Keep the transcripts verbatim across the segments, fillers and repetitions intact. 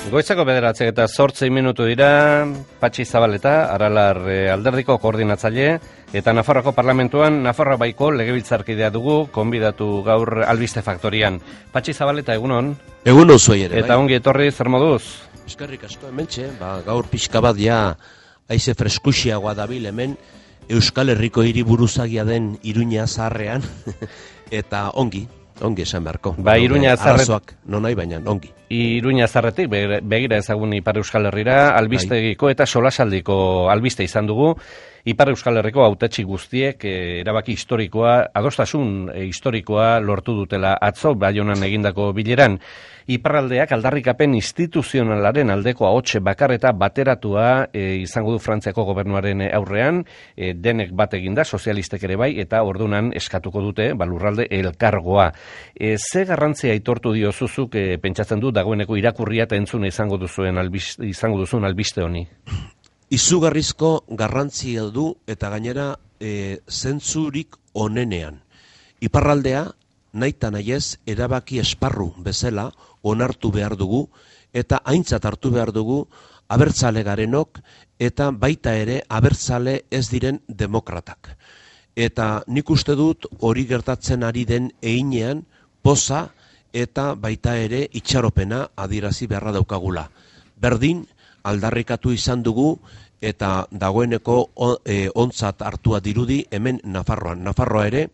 Goizako bederatzek eta zortzei minutu dira, Patxi Zabaleta, Aralar alderdiko koordinatzaile, eta Nafarroako parlamentuan Nafarroa baiko legebiltzarkidea dugu, konbidatu gaur Albiste Faktorian. Patxi Zabaleta, egunon? Egunon zuei ere, Eta bai. ongi etorri, zer moduz? Eskerrik asko hementxe, ba, gaur pixka bat ja haize freskuxiagoa dabil hemen, Euskal Herriko hiriburuzagia den Iruña zaharrean, eta ongi. Ongi esan beharko. Ba, Iruña zarret... Arazoak, non nahi baina, ongi. Iruña zarretik, begira ezagun Ipar Euskal Herrira, albistegiko eta solasaldiko albiste izan dugu. Ipar Euskal Herriko hautetsi guztiek eh, erabaki historikoa, adostasun eh, historikoa lortu dutela atzo Baionan egindako bileran. Iparraldeak aldarrikapen instituzionalaren aldeko ahotse bakar eta bateratua eh, izango du Frantziako gobernuaren aurrean, eh, denek bat eginda, sozialistek ere bai, eta ordunan eskatuko dute balurralde elkargoa. Eh, ze garrantzia aitortu diozuzuk eh, pentsatzen du dagoeneko irakurria eta entzuna izango duzuen albiste, izango duzuen albiste honi? Izugarrizko garrantzia du eta gainera e, zentzurik onenean. Iparraldea nahita nahiez erabaki esparru bezala onartu behar dugu eta aintzat hartu behar dugu abertzale garenok eta baita ere abertzale ez diren demokratak. Eta nik uste dut hori gertatzen ari den einean poza eta baita ere itxaropena adierazi beharra daukagula. Berdin, aldarrikatu izan dugu eta dagoeneko e, ontzat hartua dirudi hemen Nafarroan. Nafarroa ere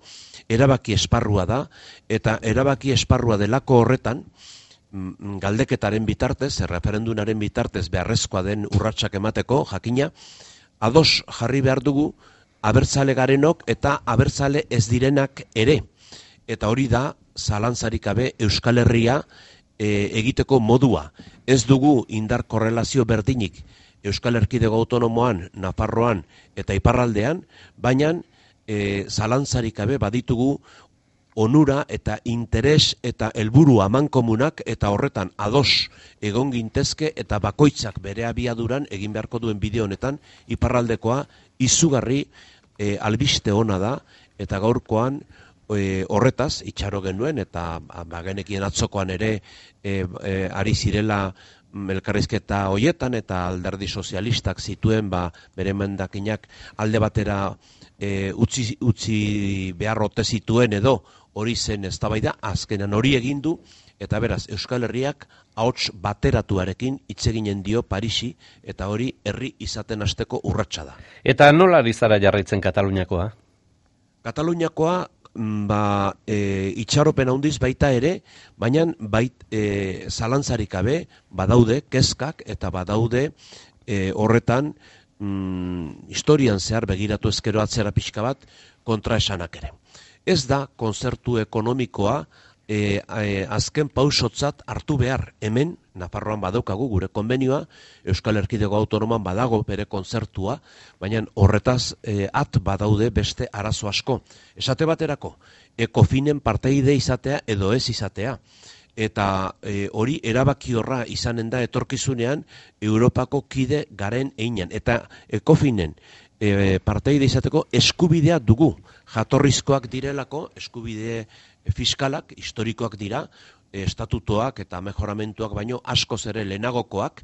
erabaki esparrua da eta erabaki esparrua delako horretan galdeketaren bitartez, referendunaren bitartez beharrezkoa den urratsak emateko jakina, ados jarri behar dugu abertzale garenok eta abertzale ez direnak ere. Eta hori da zalantzarik gabe Euskal Herria E, egiteko modua. Ez dugu indar korrelazio berdinik Euskal Erkidego Autonomoan, Nafarroan eta Iparraldean, baina e, zalantzarik gabe baditugu onura eta interes eta helburu amankomunak eta horretan ados egon gintezke eta bakoitzak bere abiaduran egin beharko duen bideo honetan Iparraldekoa izugarri e, albiste ona da eta gaurkoan E, horretaz, itxaro genuen, eta bagenekien atzokoan ere e, e, ari zirela elkarrizketa hoietan, eta alderdi sozialistak zituen ba, bere emendakinak alde batera e, utzi, utzi beharrote zituen edo hori zen eztabaida, azkenan hori egin du, eta beraz, Euskal Herriak ahots bateratuarekin hitz eginen dio Parisi, eta hori herri izaten hasteko urratsa da. Eta nola ari zara jarraitzen Kataluniakoa? Kataluniakoa ba, e, itxaropen handiz baita ere, baina bait e, zalantzarik gabe badaude kezkak eta badaude e, horretan mm, historian zehar begiratu ezkero atzera pixka bat kontraesanak ere. Ez da kontzertu ekonomikoa e, e, azken pausotzat hartu behar hemen, Nafarroan badaukagu gure konbenioa, Euskal Erkidego Autonoman badago bere kontzertua, baina horretaz e, at badaude beste arazo asko. Esate baterako, ekofinen parteide izatea edo ez izatea. Eta e, hori erabaki horra izanen da etorkizunean Europako kide garen einan. Eta ekofinen e, parteide izateko eskubidea dugu. Jatorrizkoak direlako, eskubide fiskalak, historikoak dira, estatutoak eta mejoramentuak baino askoz ere lehenagokoak,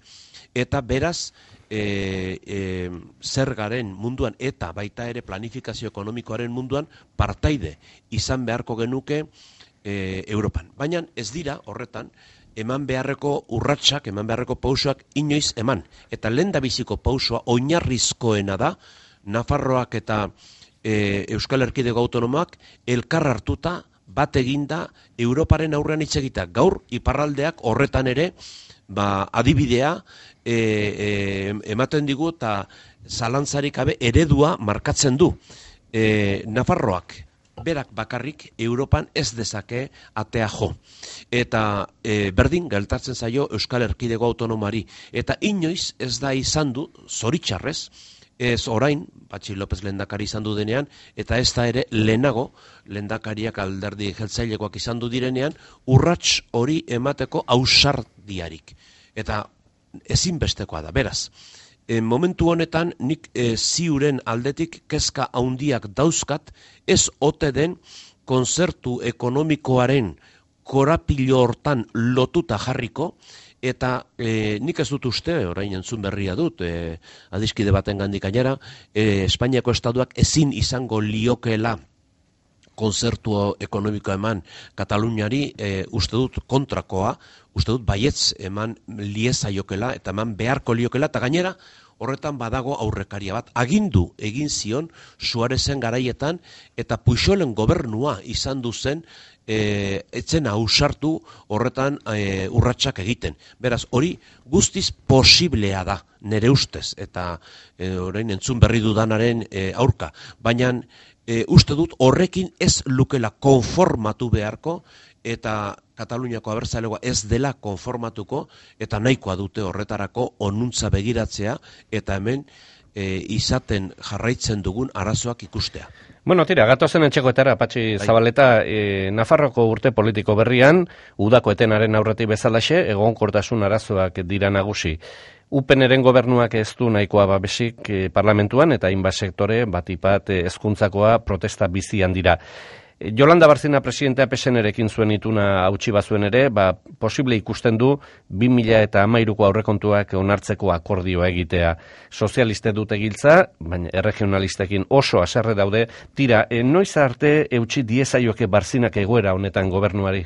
eta beraz e, e, zergaren munduan eta baita ere planifikazio ekonomikoaren munduan partaide izan beharko genuke e, Europan. Baina ez dira horretan eman beharreko urratsak, eman beharreko pausoak inoiz eman. Eta lehendabiziko pausoa oinarrizkoena da Nafarroak eta e, Euskal Erkidego Autonomoak elkar hartuta bat eginda Europaren aurrean hitz egita. Gaur iparraldeak horretan ere ba, adibidea e, e, ematen digu eta zalantzarik gabe eredua markatzen du. E, Nafarroak berak bakarrik Europan ez dezake atea jo. Eta e, berdin geltatzen zaio Euskal Erkidego Autonomari. Eta inoiz ez da izan du, zoritxarrez, ez orain, Patxi López lehendakari izan du denean, eta ez da ere lehenago, lehendakariak alderdi jeltzailekoak izan du direnean, urrats hori emateko ausardiarik. Eta ezinbestekoa da, beraz. E, momentu honetan, nik e, ziuren aldetik kezka haundiak dauzkat, ez ote den kontzertu ekonomikoaren korapilo hortan lotuta jarriko, Eta e, nik ez dut uste, orain entzun berria dut, e, adiskide baten gandik gainera, e, Espainiako estatuak ezin izango liokela konzertu ekonomikoa eman Kataluniari, e, uste dut kontrakoa, uste dut baietz eman liezaiokela eta eman beharko liokela, eta gainera horretan badago aurrekaria bat. Agindu egin zion Suarezen garaietan eta Puixolen gobernua izan duzen e, etzen ausartu horretan e, urratsak egiten. Beraz, hori guztiz posiblea da, nere ustez, eta e, orain entzun berri dudanaren e, aurka. Baina e, uste dut horrekin ez lukela konformatu beharko, eta Kataluniako abertzalegoa ez dela konformatuko, eta nahikoa dute horretarako onuntza begiratzea, eta hemen e, izaten jarraitzen dugun arazoak ikustea. Bueno, tira, gatozen etxekoetara, Patxi Zabaleta, e, Nafarroko urte politiko berrian, udako etenaren aurretik bezalaxe, egonkortasun arazoak dira nagusi. Upeneren gobernuak ez du nahikoa babesik e, parlamentuan, eta hainbat sektore batipat e, hezkuntzakoa protesta bizian dira. Jolanda Barzina presidentea P S N-erekin zuen ituna hautsi bazuen ere, ba, posible ikusten du bi mila hamairuko aurrekontuak onartzeko akordioa egitea. Sozialiste dute giltza, baina erregionalistekin oso haserre daude. Tira, e, noiz arte eutsi diezaioke Barzinak egoera honetan gobernuari?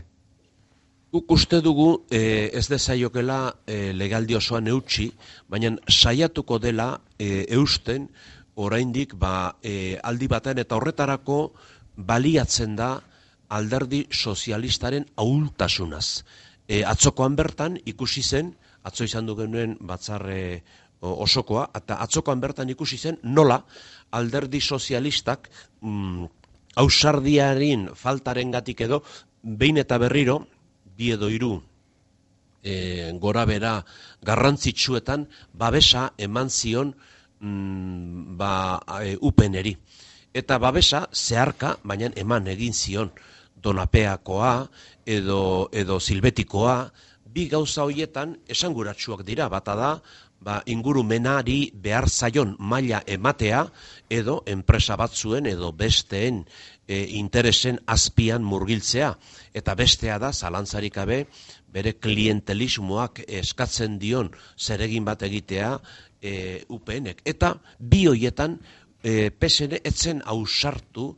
Guk uste dugu e, ez dezaiokela e, legaldi osoan eutsi, baina saiatuko dela e, eusten oraindik ba, e, aldi baten eta horretarako baliatzen da alderdi sozialistaren ahultasunaz. E, atzokoan bertan ikusi zen, atzo izan du genuen batzarre osokoa, eta atzokoan bertan ikusi zen nola alderdi sozialistak mm, ausardiaren faltarengatik edo behin eta berriro, bi edo hiru e, gora bera garrantzitsuetan babesa eman zion mm, ba, e, upeneri. Eta babesa zeharka, baina eman egin zion Donapeakoa edo, edo Silbetikoa, bi gauza horietan esanguratsuak dira, bata da, ba, ingurumenari behar zaion maila ematea, edo enpresa batzuen edo besteen e, interesen azpian murgiltzea, eta bestea da, zalantzarik gabe, bere klientelismoak eskatzen dion zeregin bat egitea e, U P N-ek. Eta bi horietan, E, P S N etzen ausartu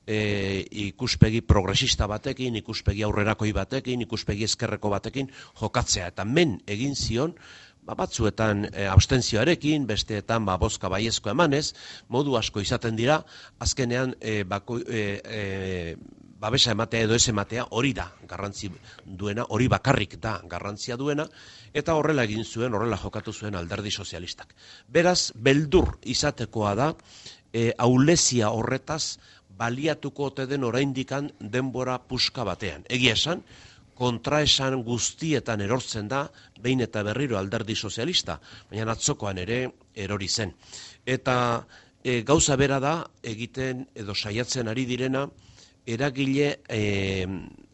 e, ikuspegi progresista batekin, ikuspegi aurrerakoi batekin, ikuspegi ezkerreko batekin jokatzea. Eta men egin zion, ba, batzuetan e, abstentzioarekin, besteetan ba, bozka baiezko emanez, modu asko izaten dira, azkenean e, bako, e, e, babesa ematea edo ez ematea hori da garrantzi duena, hori bakarrik da garrantzia duena, eta horrela egin zuen, horrela jokatu zuen alderdi sozialistak. Beraz, beldur izatekoa da, E, aulezia horretaz baliatuko ote den oraindikan denbora puska batean. Egia esan, kontraesan guztietan erortzen da, behin eta berriro alderdi sozialista, baina atzokoan ere erori zen. Eta e, gauza bera da, egiten edo saiatzen ari direna, eragile e,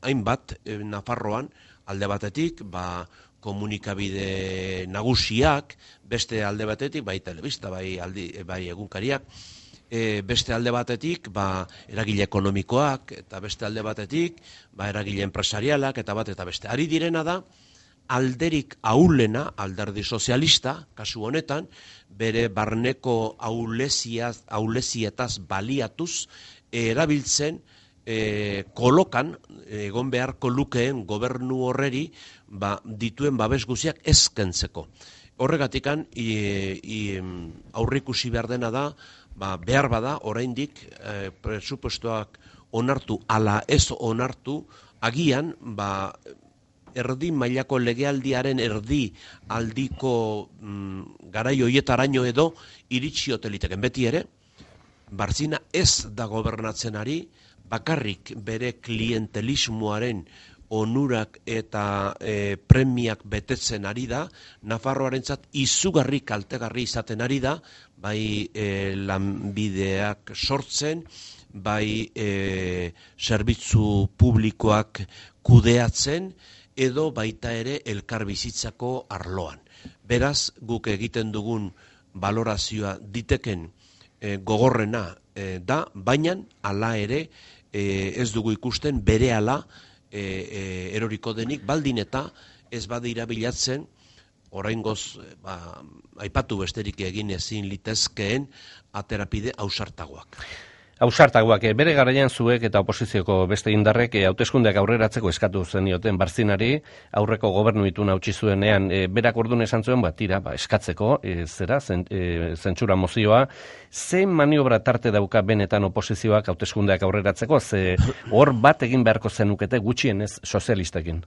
hainbat e, Nafarroan, alde batetik, ba, komunikabide nagusiak, beste alde batetik, bai telebista, bai, aldi, bai egunkariak, E, beste alde batetik, ba, eragile ekonomikoak, eta beste alde batetik, ba, eragile enpresarialak, eta bat eta beste. Ari direna da, alderik ahulena, alderdi sozialista, kasu honetan, bere barneko ahuleziaz, ahulezietaz baliatuz, e, erabiltzen, e, kolokan, egon beharko lukeen gobernu horreri, ba, dituen babes guziak ezkentzeko. Horregatikan, aurrikusi behar dena da, ba, behar bada, oraindik e, presupuestoak onartu, ala ez onartu, agian, ba, erdi mailako legealdiaren erdi aldiko mm, garai hoietaraino edo iritsi hoteliteken. Beti ere, Barzina ez da gobernatzen ari, bakarrik bere klientelismoaren onurak eta e, premiak betetzen ari da, Nafarroarentzat izugarri kaltegarri izaten ari da, bai e, lanbideak sortzen, bai e, zerbitzu publikoak kudeatzen, edo baita ere elkarbizitzako arloan. Beraz, guk egiten dugun balorazioa diteken e, gogorrena e, da, baina hala ere e, ez dugu ikusten berehala E, e, eroriko denik, baldin eta ez badira bilatzen, oraingoz ba, aipatu besterik egin ezin litezkeen aterapide ausartagoak. Ausartagoak, bere garaian zuek eta oposizioko beste indarrek hauteskundeak aurreratzeko eskatu zenioten Barzinari, aurreko gobernu ituna utzi zuenean, e, berak orduan esan zuen, ba, tira, ba, eskatzeko, e, zera, zen, e, zentsura mozioa, ze maniobra tarte dauka benetan oposizioak hauteskundeak aurreratzeko, ze hor bat egin beharko zenukete gutxienez sozialistekin?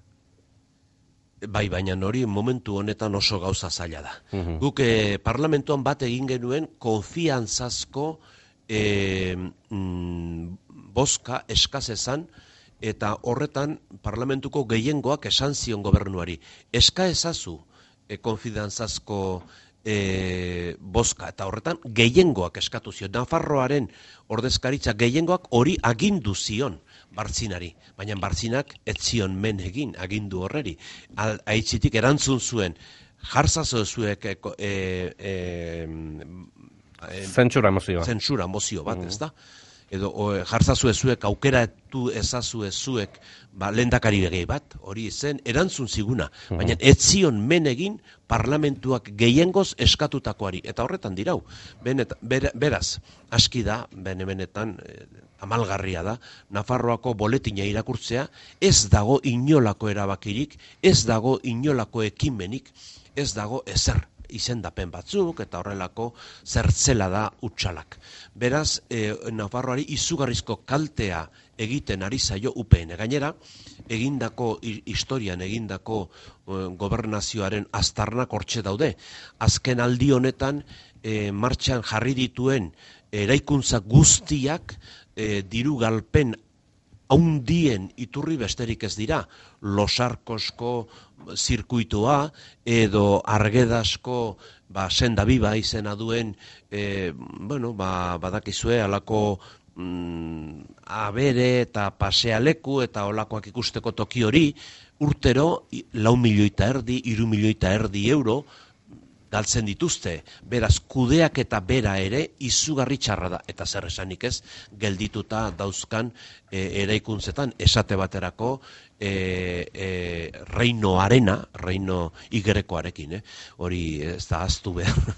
Bai, baina hori momentu honetan oso gauza zaila da. Mhm. Guk eh, parlamentuan bat egin genuen konfiantzazko E, mm, boska eskazezan eta horretan parlamentuko gehiengoak esan zion gobernuari. Eska ezazu e, konfidantzazko e, boska eta horretan gehiengoak eskatu zion. Nafarroaren ordezkaritza gehiengoak hori agindu zion Bartzinari, baina Bartzinak ez zion men egin agindu horreri. Aitzitik erantzun zuen jartzazo zuek e, e, Zentsura mozioa. Zentsura mozio bat, ez da? Edo jartzazu ezuek, aukeratu ezazu ezuek, ba, lehendakari gehi bat, hori zen, erantzun ziguna. Baina ez zion men egin parlamentuak gehiengoz eskatutakoari. Eta horretan dirau. Benet, ber, beraz, aski da, bene benetan, eh, amalgarria da, Nafarroako boletina irakurtzea, ez dago inolako erabakirik, ez dago inolako ekimenik, ez dago ezer izendapen batzuk eta horrelako zertzela da utxalak. Beraz, e, Nafarroari izugarrizko kaltea egiten ari zaio U P N. Gainera, egindako historian egindako e, gobernazioaren aztarnak hortxe daude. Azken aldi honetan e, martxan jarri dituen eraikuntza guztiak e, diru galpen haundien iturri besterik ez dira, Losarkosko zirkuitoa edo Argedasko ba, senda biba izena duen, e, bueno, ba, badakizue alako mm, abere eta pasealeku eta olakoak ikusteko toki hori, urtero lau milioita erdi, hiru milioita erdi euro, galtzen dituzte, beraz kudeak eta bera ere izugarri txarra da, eta zer esanik ez, geldituta dauzkan e, eraikuntzetan, esate baterako e, e, Reino Arena, Reino Igrekoarekin, eh? Hori ez da aztu behar,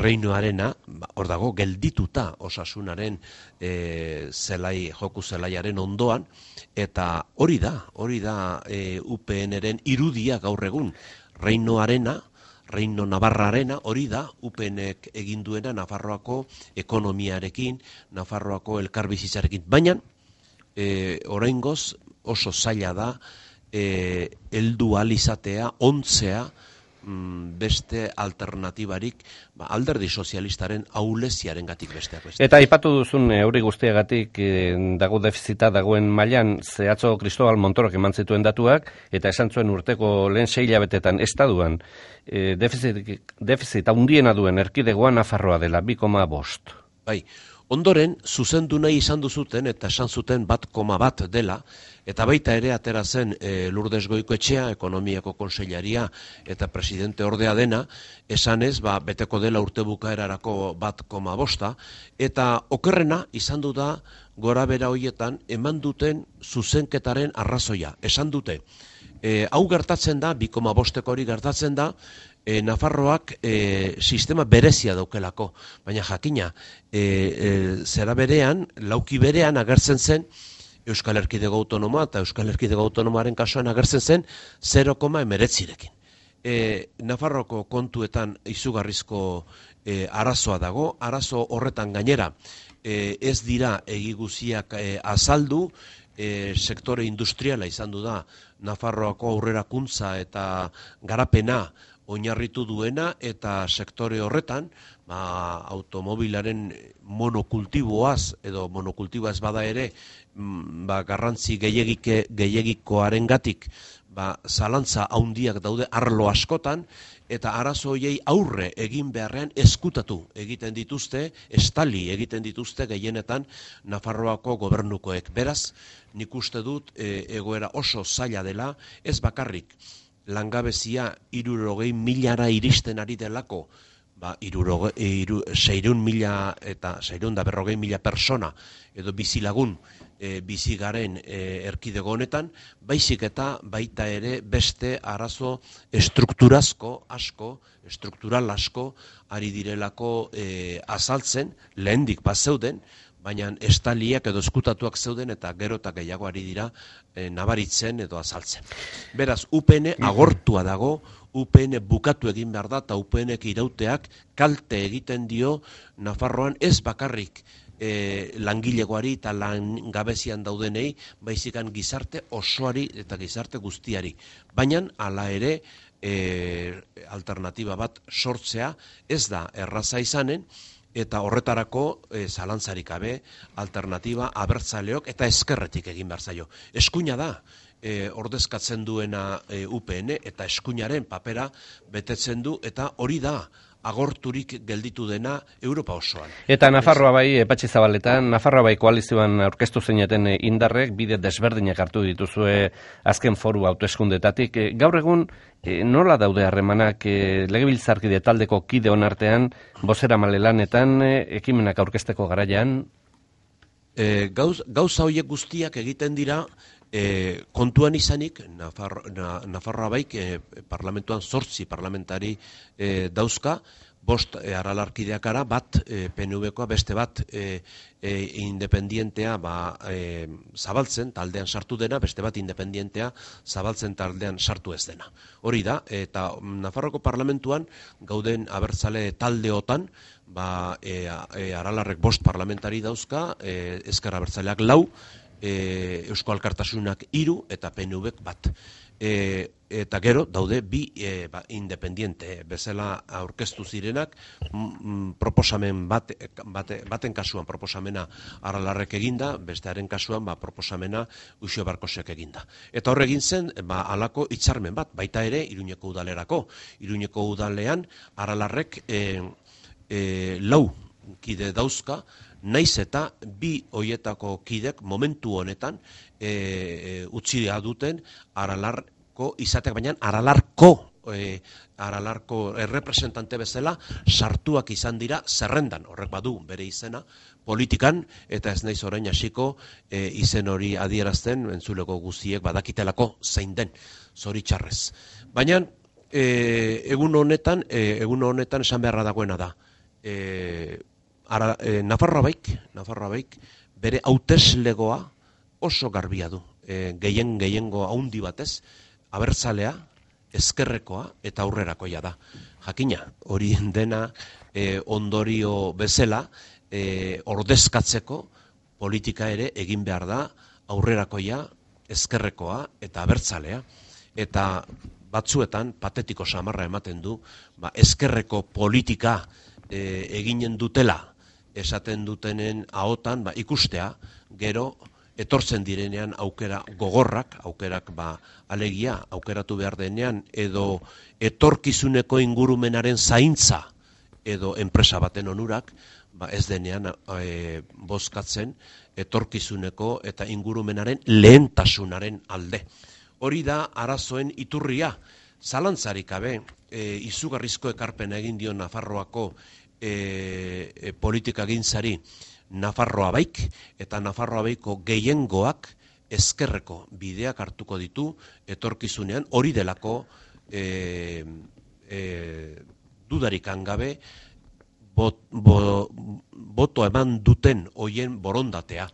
Reino Arena, hor dago, geldituta osasunaren e, zelai, joku zelaiaren ondoan, eta hori da, hori da e, U P N-ren irudia gaur egun, Reino Arena, Reino Navarrarena, hori da, U P N-ek egin duena Nafarroako ekonomiarekin, Nafarroako elkarbizitzarekin. Baina, e, oraingoz oso zaila da, e, heldu alizatea, ontzea, mm, beste alternatibarik, ba, alderdi sozialistaren ahuleziaren gatik besteak beste. Eta aipatu duzun hori guztiagatik e, dago defizita dagoen mailan zehatzo Cristobal Montorok eman zituen datuak, eta esan zuen urteko lehen sei hilabetetan estaduan e, defizit, defizit handiena duen erkidegoan Nafarroa dela, bi koma bost. Bai, ondoren, zuzendu nahi izan duzuten, eta esan zuten bat koma bat dela, eta baita ere atera zen e, Lourdes Goikoetxea, ekonomiako konsellaria eta presidente ordea dena, esanez, ba, beteko dela urte bukaerarako bat koma bosta, eta okerrena izan du da gora bera hoietan eman duten zuzenketaren arrazoia. Esan dute, e, hau gertatzen da, bi koma bosteko hori gertatzen da, E, Nafarroak e, sistema berezia daukelako, baina jakina, e, e, zera berean, lauki berean agertzen zen, Euskal Erkidego Autonomoa eta Euskal Erkidego Autonomoaren kasuan agertzen zen zero koma hemeretzirekin. E, Nafarroko kontuetan izugarrizko e, arazoa dago, arazo horretan gainera e, ez dira egiguziak e, azaldu, e, sektore industriala izan du da Nafarroako aurrerakuntza eta garapena oinarritu duena, eta sektore horretan, ba, automobilaren monokultiboaz, edo monokultiboaz bada ere, ba, garrantzi gehiagike, gehiagikoaren gatik, ba, zalantza haundiak daude arlo askotan, eta arazo hoiei aurre egin beharrean eskutatu egiten dituzte, estali egiten dituzte gehienetan Nafarroako gobernukoek. Beraz, nik uste dut e, egoera oso zaila dela, ez bakarrik, langabezia hirurogei milara iristen ari delako, ba, iruroge, iru, seireun mila eta seireun da berrogei mila persona edo bizilagun e, bizi garen e, erkidego honetan, baizik eta baita ere beste arazo estrukturazko asko, struktural asko ari direlako e, azaltzen, lehendik bat zeuden, baina estaliak edo eskutatuak zeuden eta gero eta gehiago ari dira e, nabaritzen edo azaltzen. Beraz, U P N agortua dago, U P N bukatu egin behar da, eta U P N-ek irauteak kalte egiten dio Nafarroan ez bakarrik e, langilegoari eta langabezian daudenei, baizikan gizarte osoari eta gizarte guztiari. Baina, hala ere, e, alternatiba bat sortzea ez da erraza izanen, eta horretarako e, zalantzarik gabe alternatiba abertzaleok eta ezkerretik egin behar zaio. Eskuina da, e, ordezkatzen duena e, U P N eta eskuinaren papera betetzen du, eta hori da agorturik gelditu dena Europa osoan. Eta Nafarroa bai, Patxi Zabaletan, Nafarroa bai koalizioan aurkeztu zeineten indarrek bide desberdinak hartu dituzue azken foru hauteskundetatik. Gaur egun nola daude harremanak legebiltzarkide taldeko kideon artean, bozeramale lanetan, ekimenak aurkezteko garaian? E, gauz, gauza horiek guztiak egiten dira e, kontuan izanik, Nafarro, na, Nafarroa baik e, parlamentuan zortzi parlamentari e, dauzka, bost e, aralarkideakara, bat e, P N V-koa, beste bat e, e, independientea ba, e, zabaltzen taldean sartu dena, beste bat independientea zabaltzen taldean sartu ez dena. Hori da, eta Nafarroko parlamentuan gauden abertzale taldeotan, ba, e, e, aralarrek bost parlamentari dauzka, e, ezker abertzaleak lau, e, Eusko Alkartasunak hiru eta P N V-ek bat. E, eta gero daude bi e, ba, independiente bezala aurkeztu zirenak, m, proposamen bat, bate, baten kasuan proposamena aralarrek eginda, bestearen kasuan ba, proposamena Uxo Barkosek eginda. Eta hor egin zen, ba, alako hitzarmen bat, baita ere Iruñeko udalerako. Iruñeko udalean aralarrek e, e, lau kide dauzka, naiz eta bi hoietako kidek momentu honetan e, e, utzi duten aralarko izateak, baina aralarko e, aralarko errepresentante bezala sartuak izan dira zerrendan, horrek badu bere izena politikan, eta ez naiz orain hasiko e, izen hori adierazten, entzuleko guztiek badakitelako zein den, zoritxarrez. Baina e, egun honetan, e, egun honetan esan beharra dagoena da, e, Ara, e, Nafarroa baik, Nafarroa baik, bere hauteslegoa oso garbia du. E, gehien gehiengo haundi batez, abertzalea, ezkerrekoa eta aurrerakoia da. Jakina, hori dena e, ondorio bezala, e, ordezkatzeko politika ere egin behar da aurrerakoia, ezkerrekoa eta abertzalea. Eta batzuetan patetiko samarra ematen du, ba, ezkerreko politika e, eginen dutela, esaten dutenen ahotan ba, ikustea, gero etortzen direnean aukera gogorrak, aukerak ba, alegia, aukeratu behar denean, edo etorkizuneko ingurumenaren zaintza, edo enpresa baten onurak, ba, ez denean e, bozkatzen etorkizuneko eta ingurumenaren lehentasunaren alde. Hori da arazoen iturria, zalantzarik gabe, e, izugarrizko ekarpena egin dio Nafarroako E, e, politika gintzari Nafarroa baik, eta Nafarroa baiko gehiengoak ezkerreko bideak hartuko ditu etorkizunean, hori delako e, e, dudarikan gabe bot, bo, boto eman duten hoien borondatea.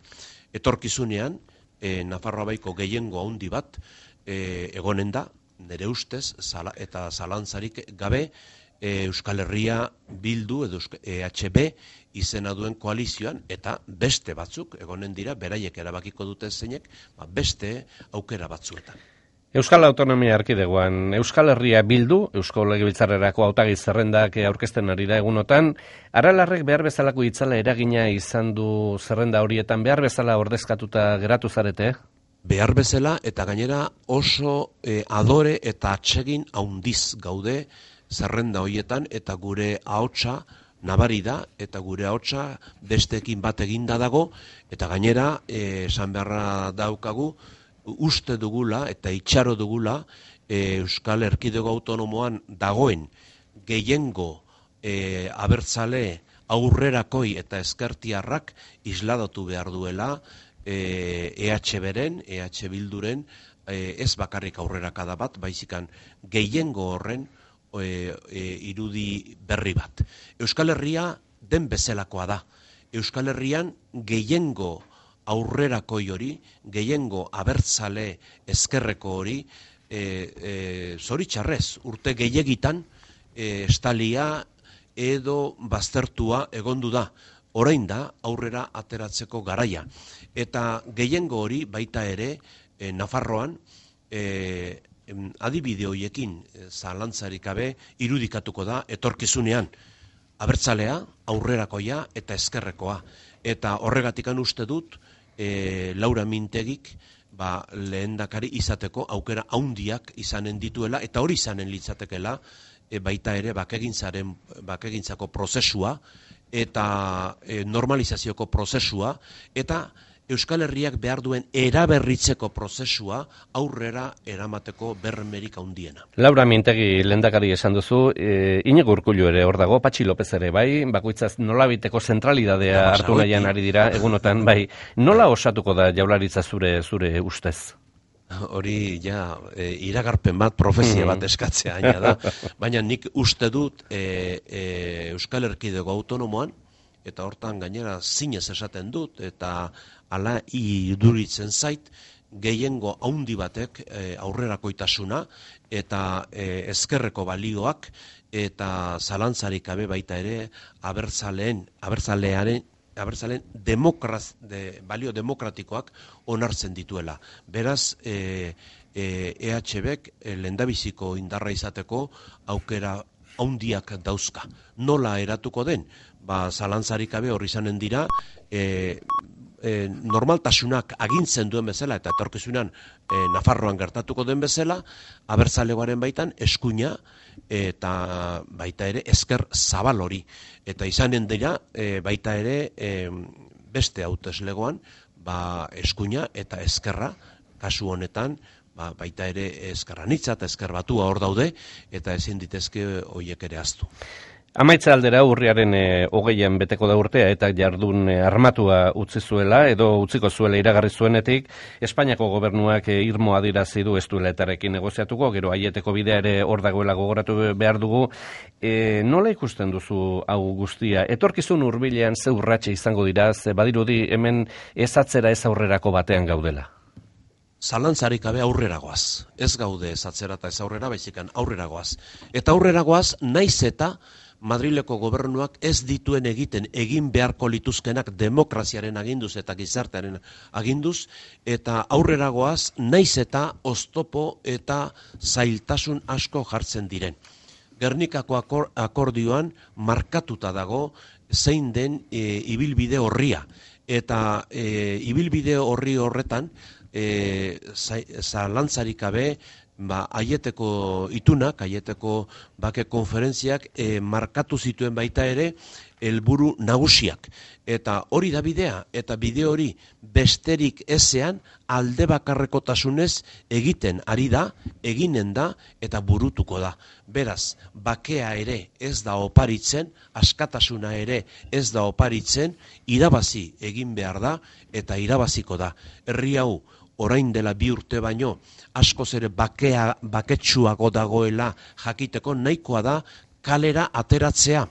Etorkizunean e, Nafarroa baiko gehiengo handi bat e, egonen da, nire ustez, zala, eta zalantzarik gabe, Euskal Herria Bildu edo E H B izena duen koalizioan, eta beste batzuk egonen dira, beraiek erabakiko dute zeinek, ba beste aukera batzuetan. Euskal Autonomia Erkidegoan, Euskal Herria Bildu, Eusko Legebiltzarrerako hautagi zerrendak aurkezten ari da egunotan, aralarrek behar bezalako itzala eragina izan du zerrenda horietan, behar bezala ordezkatuta geratu zarete? Behar bezala, eta gainera oso eh, adore eta atsegin haundiz gaude zerrenda horietan, eta gure ahotsa nabari da, eta gure ahotsa besteekin bat eginda dago, eta gainera eh, esan beharra daukagu, uste dugula eta itxaro dugula eh, Euskal Erkidego Autonomoan dagoen gehiengo e, abertzale aurrerakoi eta ezkertiarrak isladatu behar duela e, EH beren, EH Bilduren, e, ez bakarrik aurrerakada bat, baizikan gehiengo horren e, e, irudi berri bat. Euskal Herria den bezalakoa da. Euskal Herrian gehiengo aurrerakoi hori, gehiengo abertzale ezkerreko hori, e, e, zoritxarrez, urte gehiagitan, e, estalia edo baztertua egondu da. Orain da aurrera ateratzeko garaia. Eta gehiengo hori baita ere, e, Nafarroan, e, adibide horiekin zalantzarik gabe irudikatuko da etorkizunean. Abertzalea, aurrerakoia eta ezkerrekoa. Eta horregatikan uste dut, E, Laura Mintegik ba, lehendakari izateko aukera haundiak izanen dituela, eta hori izanen litzatekela e, baita ere bakegintzaren, bakegintzako prozesua eta e, normalizazioko prozesua, eta Euskal Herriak behar duen eraberritzeko prozesua aurrera eramateko bermerik handiena. Laura Mintegi lehendakari esan duzu, e, Iñigo Urkullu ere hor dago, Patxi López ere bai, bakoitzaz nolabiteko zentralidadea ja, hartu nahian ari dira, egunotan bai, nola osatuko da Jaurlaritza zure zure ustez? Hori ja e, iragarpen bat, profezia bat eskatzea aina da, baina nik uste dut e, e, Euskal Erkidego autonomoan, eta hortan gainera zinez esaten dut, eta ala iduritzen zait, gehiengo haundi batek e, aurrerakoitasuna eta e, ezkerreko balioak eta zalantzarik gabe baita ere abertzaleen, abertzalearen, abertzaleen demokraz, de, balio demokratikoak onartzen dituela. Beraz, e, e, EH Bek e, lehendabiziko indarra izateko aukera haundiak dauzka. Nola eratuko den? Ba, zalantzarik gabe horri izanen dira, e, e, normaltasunak agintzen duen bezala, eta etorkizunan e, Nafarroan gertatuko den bezala, abertzalegoaren baitan eskuina eta baita ere ezker zabal hori. Eta izanen dira e, baita ere e, beste hauteslegoan ba, eskuina eta ezkerra, kasu honetan, ba, baita ere ezkerranitza eta ezker batua hor daude, eta ezin ditezke horiek ere aztu. Amaitza aldera urriaren e, hogeian beteko da urtea eta jardun e, armatua utzi zuela edo utziko zuela iragarri zuenetik, Espainiako gobernuak e, irmo adirazi du ez duela etarekin negoziatuko, gero aieteko bidea ere hor dagoela gogoratu behar dugu. E, nola ikusten duzu hau guztia? Etorkizun hurbilean ze urratxe izango dira, ze badirudi hemen ez atzera ez aurrerako batean gaudela? Zalantzarik gabe aurreragoaz. Ez gaude ez atzera eta ez aurrera, baizikan aurreragoaz. Eta aurreragoaz naiz eta Madrileko gobernuak ez dituen egiten egin beharko lituzkenak demokraziaren aginduz eta gizartearen aginduz, eta aurreragoaz naiz eta oztopo eta zailtasun asko jartzen diren. Gernikako akor, akordioan markatuta dago zein den e, ibilbide horria, eta e, ibilbide horri horretan e, zalantzarik gabe ba, aieteko itunak, aieteko bake konferentziak e, markatu zituen baita ere helburu nagusiak. Eta hori da bidea, eta bide hori besterik ezean alde bakarrekotasunez egiten ari da, eginen da eta burutuko da. Beraz, bakea ere ez da oparitzen, askatasuna ere ez da oparitzen, irabazi egin behar da eta irabaziko da. Herri hau orain dela bi urte baino, askoz ere bakea, baketsuago dagoela jakiteko nahikoa da kalera ateratzea.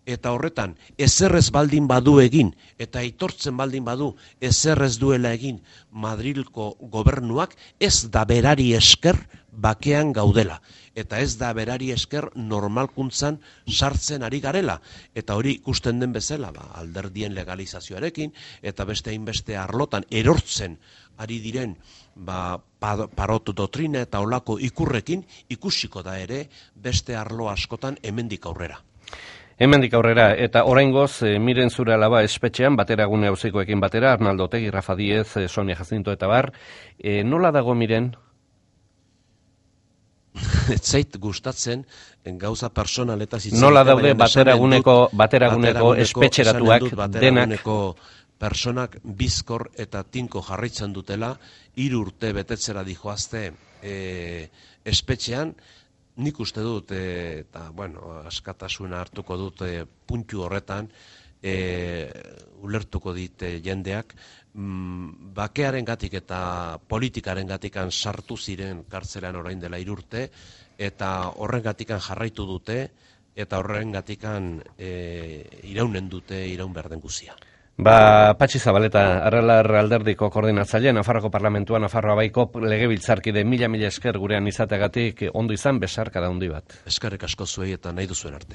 Eta horretan, ezerrez baldin badu egin, eta aitortzen baldin badu ezerrez duela egin Madrilko gobernuak, ez da berari esker bakean gaudela. Eta ez da berari esker normalkuntzan sartzen ari garela. Eta hori ikusten den bezala, ba, alderdien legalizazioarekin, eta beste hainbeste arlotan erortzen ari diren ba, parot dotrina eta olako ikurrekin ikusiko da ere beste arlo askotan hemendik aurrera. Hemendik aurrera, eta oraingoz e, Miren zure alaba espetxean, batera gune hauzikoekin batera, Arnaldo Otegi, Rafa Diez, e, Sonia Jacinto eta bar. E, nola dago Miren? Ez zait gustatzen gauza personaletaz hitz. Nola daude bateraguneko bateraguneko espetxeratuak denak personak bizkor eta tinko jarraitzen dutela, hiru urte betetzera dijoazte e, espetxean, nik uste dut, e, eta, bueno, askatasuna hartuko dut e, puntu horretan, e, ulertuko dit e, jendeak, mm, bakearen gatik eta politikaren gatikan sartu ziren kartzelan orain dela irurte, eta horren gatikan jarraitu dute, eta horren gatikan e, iraunen dute, iraun behar den guzia. Ba, Patxi Zabaleta, Aralar alderdiko koordinatzaile, Nafarroko Parlamentua, Nafarroa Baiko legebiltzarkide mila mila esker gurean izateagatik ondo izan besarkada handi bat. Eskerrik asko zuei eta nahi duzuen arte.